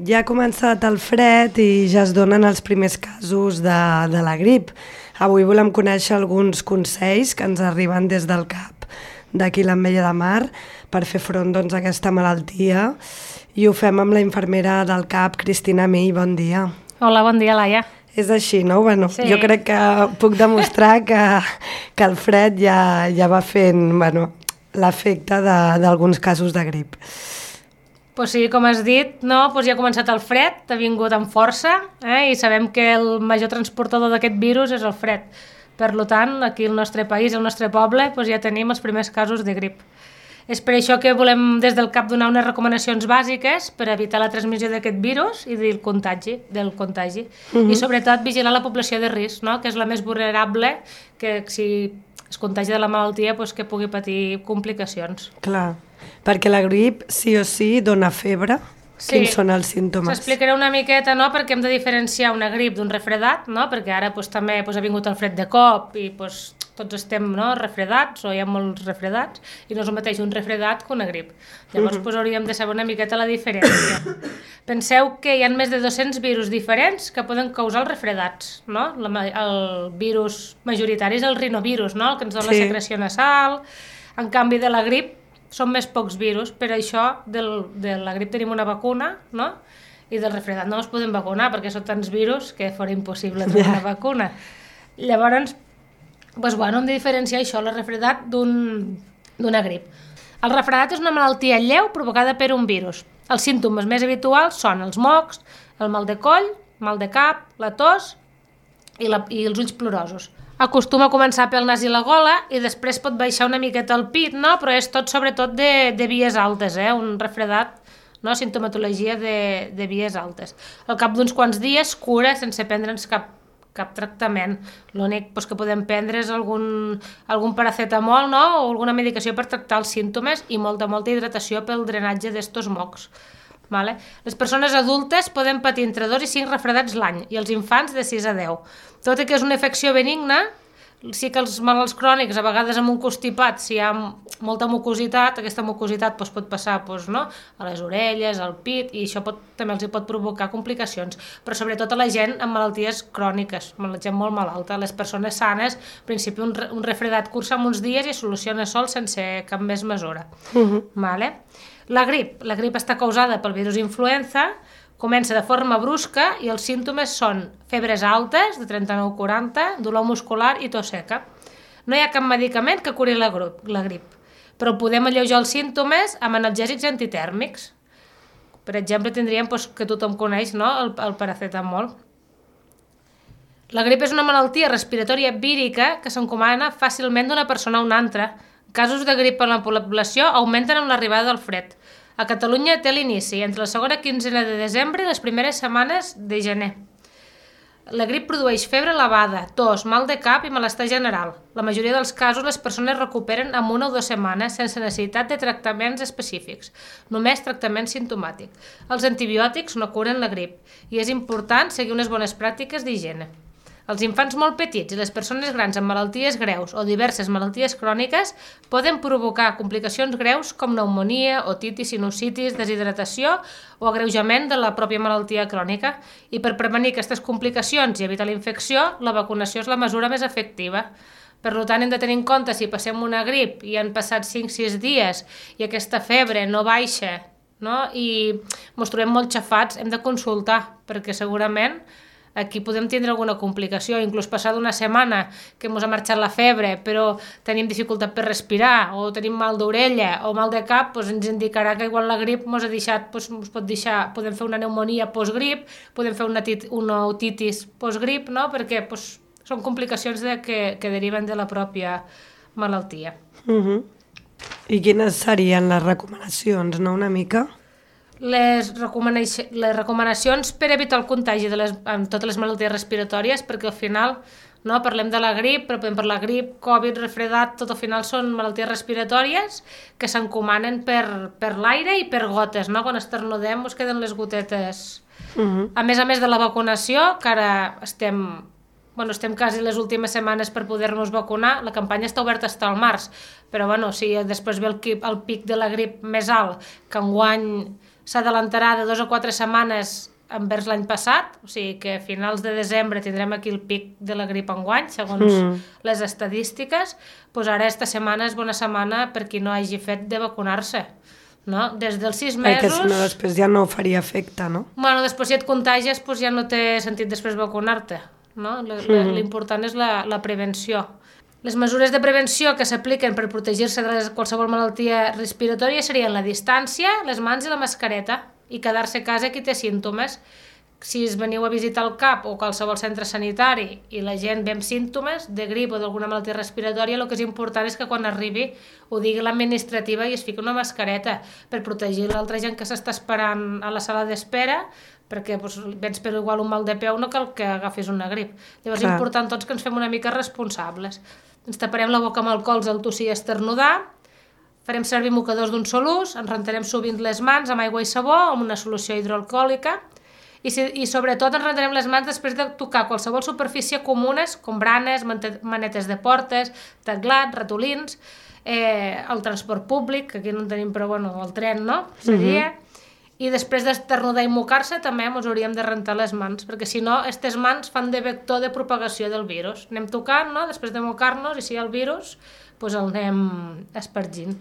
Ja ha començat el fred i ja es donen els primers casos de la grip. Avui volem conèixer alguns consells que ens arriben des del CAP d'aquí l'Ametlla de Mar per fer front a aquesta malaltia i ho fem amb la infermera del CAP, Cristina Mill. Bon dia. Hola, bon dia, Laia. És així, no? Bueno, sí. Jo crec que puc demostrar que el fred ja va fent l'efecte d'alguns casos de grip. Pues sí, com has dit, no? Pues ja ha començat el fred, ha vingut amb força, i sabem que el major transportador d'aquest virus és el fred. Per tant, aquí al nostre país, al nostre poble, pues ja tenim els primers casos de grip. És per això que volem des del CAP donar unes recomanacions bàsiques per evitar la transmissió d'aquest virus i del contagi. I sobretot vigilar la població de risc, no? Que és la més vulnerable, que si es contagi de la malaltia pues, que pugui patir complicacions. Clar, perquè la grip sí o sí dona febre. Sí. Quins són els símptomes? S'explicaré una miqueta, no?, perquè hem de diferenciar una grip d'un refredat, no?, perquè ara pues, també pues, ha vingut el fred de cop i pues, tots estem, no?, refredats o hi ha molts refredats i no és el mateix un refredat que una grip. Llavors pues, hauríem de saber una miqueta la diferència. Penseu que hi ha més de 200 virus diferents que poden causar els refredats, no? El virus majoritari és el rinovirus, no?, el que ens dona la secreció nasal. En canvi de la grip són més pocs virus, per això de la grip tenim una vacuna, no? I del refredat no es podem vacunar perquè són tants virus que fora impossible tenir una vacuna. Llavors, doncs, hem de diferenciar això, el refredat d'una grip. El refredat és una malaltia lleu provocada per un virus. Els símptomes més habituals són els mocs, el mal de coll, mal de cap, la tos i els ulls plorosos. Acostuma a començar pel nas i la gola i després pot baixar una miqueta al pit, no? Però és tot sobretot de vies altes, un refredat, no? Sintomatologia de vies altes. Al cap d'uns quants dies cura sense prendre'ns cap tractament. L'únic que podem prendre és algun paracetamol, no? O alguna medicació per tractar els símptomes i molta hidratació pel drenatge d'estos mocs. Vale? Les persones adultes poden patir entre 2 i 5 refredats l'any i els infants de 6 a 10. Tot i que és una infecció benigna, sí que els malalts crònics, a vegades amb un constipat, si hi ha molta mucositat, aquesta mucositat pot passar a les orelles, al pit, i això també els pot provocar complicacions, però sobretot a la gent amb malalties cròniques, la gent molt malalta. Les persones sanes, en principi un refredat cursa en uns dies i soluciona sol sense cap més mesura. Vale? La grip està causada pel virus influenza, comença de forma brusca i els símptomes són febres altes, de 39-40, dolor muscular i tos seca. No hi ha cap medicament que curi la grip, però podem alleujar els símptomes amb analgèsics antitèrmics. Per exemple, tindríem que tothom coneix, no? el paracetamol. La grip és una malaltia respiratòria vírica que s'encomana fàcilment d'una persona a una altra. Casos de grip en la població augmenten amb l'arribada del fred. A Catalunya té l'inici entre la segona quinzena de desembre i les primeres setmanes de gener. La grip produeix febre elevada, tos, mal de cap i malestar general. La majoria dels casos les persones recuperen en 1 o 2 setmanes sense necessitat de tractaments específics, només tractament simptomàtic. Els antibiòtics no curen la grip i és important seguir unes bones pràctiques d'higiene. Els infants molt petits i les persones grans amb malalties greus o diverses malalties cròniques poden provocar complicacions greus com pneumònia, otitis, sinusitis, deshidratació o agreujament de la pròpia malaltia crònica. I per prevenir aquestes complicacions i evitar la infecció, la vacunació és la mesura més efectiva. Per tant, hem de tenir en compte si passem una grip i han passat 5-6 dies i aquesta febre no baixa, no? I ens trobem molt xafats, hem de consultar perquè segurament aquí podem tindre alguna complicació, inclús passar d'una setmana que ens ha marxat la febre però tenim dificultat per respirar o tenim mal d'orella o mal de cap, ens indicarà que igual la grip ens ha deixat, podem fer una pneumònia postgrip, podem fer una otitis postgrip, no? Perquè són complicacions que deriven de la pròpia malaltia. I quines serien les recomanacions, no? Una mica? Les recomanacions per evitar el contagi amb totes les malalties respiratòries, perquè al final parlem de la grip, però per la grip, Covid, refredat, tot al final són malalties respiratòries que s'encomanen per l'aire i per gotes, no? Quan esternudem ens queden les gotetes. A més de la vacunació, que ara estem quasi les últimes setmanes per poder-nos vacunar, la campanya està oberta fins al març, però si després ve el pic de la grip més alt, que enguany s'adelantarà de 2 o 4 setmanes envers l'any passat, o sigui que a finals de desembre tindrem aquí el pic de la grip enguany, segons les estadístiques, doncs ara esta setmana és bona setmana per qui no hagi fet de vacunar-se. No? Des dels 6 mesos... Perquè si no, després ja no faria efecte, no? Bueno, després si et contagies doncs ja no té sentit després vacunar-te. No? L'important és la prevenció. Les mesures de prevenció que s'apliquen per protegir-se de qualsevol malaltia respiratòria serien la distància, les mans i la mascareta, i quedar-se a casa qui té símptomes. Si es veniu a visitar el CAP o qualsevol centre sanitari i la gent ve amb símptomes de grip o d'alguna malaltia respiratòria, el que és important és que quan arribi ho digui l'administrativa i es fiqui una mascareta per protegir l'altra gent que s'està esperant a la sala d'espera, perquè vens per igual un mal de peu, no cal que agafis una grip. Llavors és important tots que ens fem una mica responsables. Ens taparem la boca amb alcohols al tossir i esternudar, farem servir mocadors d'un sol ús, ens rentarem sovint les mans amb aigua i sabó o amb una solució hidroalcohòlica i sobretot ens rentarem les mans després de tocar qualsevol superfície comunes com branes, manetes de portes, teclats, ratolins, el transport públic, que aquí no en tenim però bueno, el tren, no? Seria... I després d'esternudar i mocar-se també ens hauríem de rentar les mans, perquè si no, aquestes mans fan de vector de propagació del virus. Anem tocant, no? Després de mocar-nos, i si hi ha el virus, doncs el anem espargint.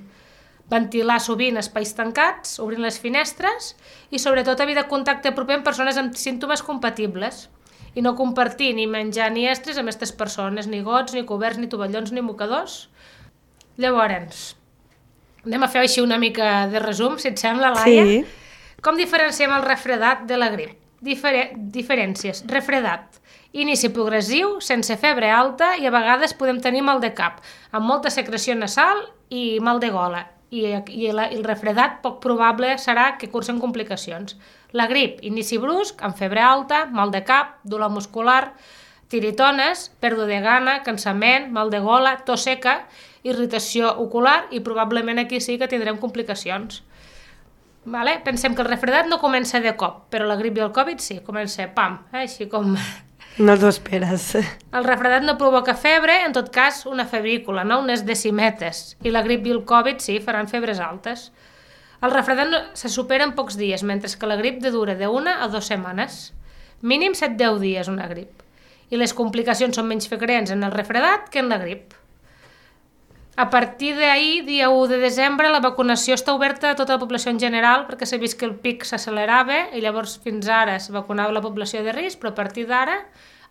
Ventilar sovint espais tancats, obrint les finestres, i sobretot evitar contacte proper amb persones amb símptomes compatibles, i no compartir ni menjar ni estres amb aquestes persones, ni gots, ni coberts, ni tovallons, ni mocadors. Llavors, anem a fer així una mica de resum, si et sembla, Laia? Sí. Com diferenciem el refredat de la grip? Diferències. Refredat. Inici progressiu, sense febre alta i a vegades podem tenir mal de cap, amb molta secreció nasal i mal de gola. I el refredat poc probable serà que cursen complicacions. La grip, inici brusc, amb febre alta, mal de cap, dolor muscular, tiritones, pèrdua de gana, cansament, mal de gola, tos seca, irritació ocular i probablement aquí sí que tindrem complicacions. Vale? Pensem que el refredat no comença de cop, però la grip i el Covid sí, comença pam, així com... No t'ho esperes. El refredat no provoca febre, en tot cas una febrícula, no? Unes decimetes, i la grip i el Covid sí, faran febres altes. El refredat se supera en pocs dies, mentre que la grip dura de 1 a 2 setmanes. Mínim 7-10 dies una grip. I les complicacions són menys freqüents en el refredat que en la grip. A partir d'ahir, dia 1 de desembre, la vacunació està oberta a tota la població en general perquè s'ha vist que el pic s'accelerava i llavors fins ara es vacunava la població de risc, però a partir d'ara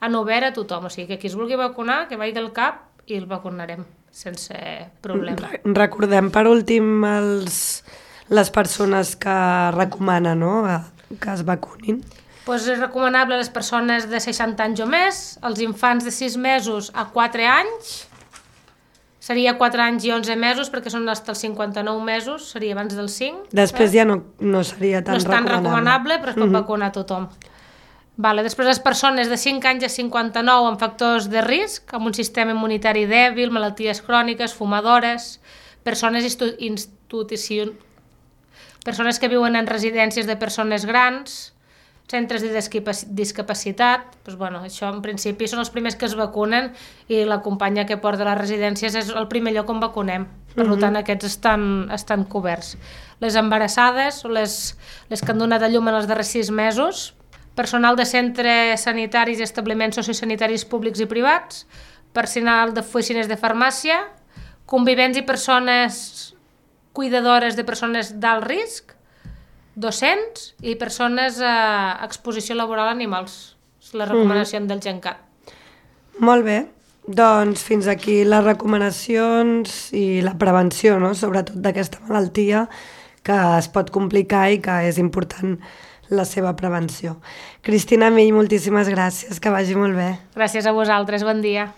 han obert a tothom. O sigui que qui es vulgui vacunar, que vagi al CAP i el vacunarem sense problema. Recordem per últim les persones que recomanen, no?, que es vacunin. Pues és recomanable a les persones de 60 anys o més, als infants de 6 mesos a 4 anys, seria 4 anys i 11 mesos, perquè són fins als 59 mesos, seria abans dels 5. Després ja no seria tan recomanable. No és tan recomanable, però es pot vacunar tothom. Vale, després les persones de 5 anys a 59 amb factors de risc, amb un sistema immunitari dèbil, malalties cròniques, fumadores, persones persones que viuen en residències de persones grans, centres de discapacitat, doncs, bueno, això en principi són els primers que es vacunen i la companya que porta a les residències és el primer lloc on vacunem. Per tant, aquests estan coberts. Les embarassades o les que han donat a llum en els darrers 6 mesos, personal de centres sanitaris i establiments sociosanitaris públics i privats, personal d'oficines de farmàcia, convivents i persones cuidadores de persones d'alt risc, docents i persones a exposició laboral a animals. És la recomanació del GenCat. Molt bé. Doncs fins aquí les recomanacions i la prevenció, no?, sobretot d'aquesta malaltia que es pot complicar i que és important la seva prevenció. Cristina Mill, moltíssimes gràcies, que vagi molt bé. Gràcies a vosaltres, bon dia.